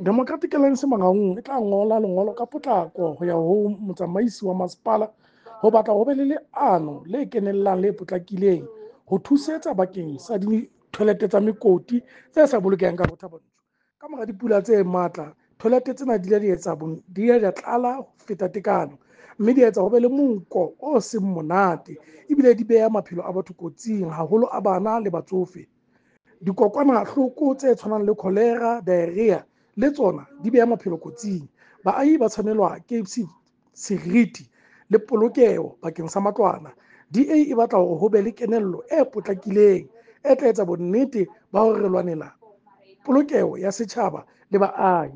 Democratic Alliance Mangaung e tla ngola lengolo ka potlako ho ya ho motsamaisi wa masepala ho batla ho be le leano le kenellang le potlakileng ho thusetsa bakeng sa dithoelete tsa mekoti tse sa bolokehang ka Thaba Nchu. Ka mora dipula tse matla, toilet tsena di ile di etsa di ile di tlala ho feta tekano, mme di etsa ho be le monko o seng monate, ebile di beha maphelo a batho kotsing, haholo a bana le batsofe. Dikokwanahloko tse tshwanang le cholera, diarrhea le tsona di beha maphelo kotsing. Baahi ba tshwanelwa ke seriti le polokeho bakeng sa matlwana. DA e batla hore ho be le kenello e potlakileng e tla etsa bonnete ba hore re lwanela polokeho ya setjhaba le baahi.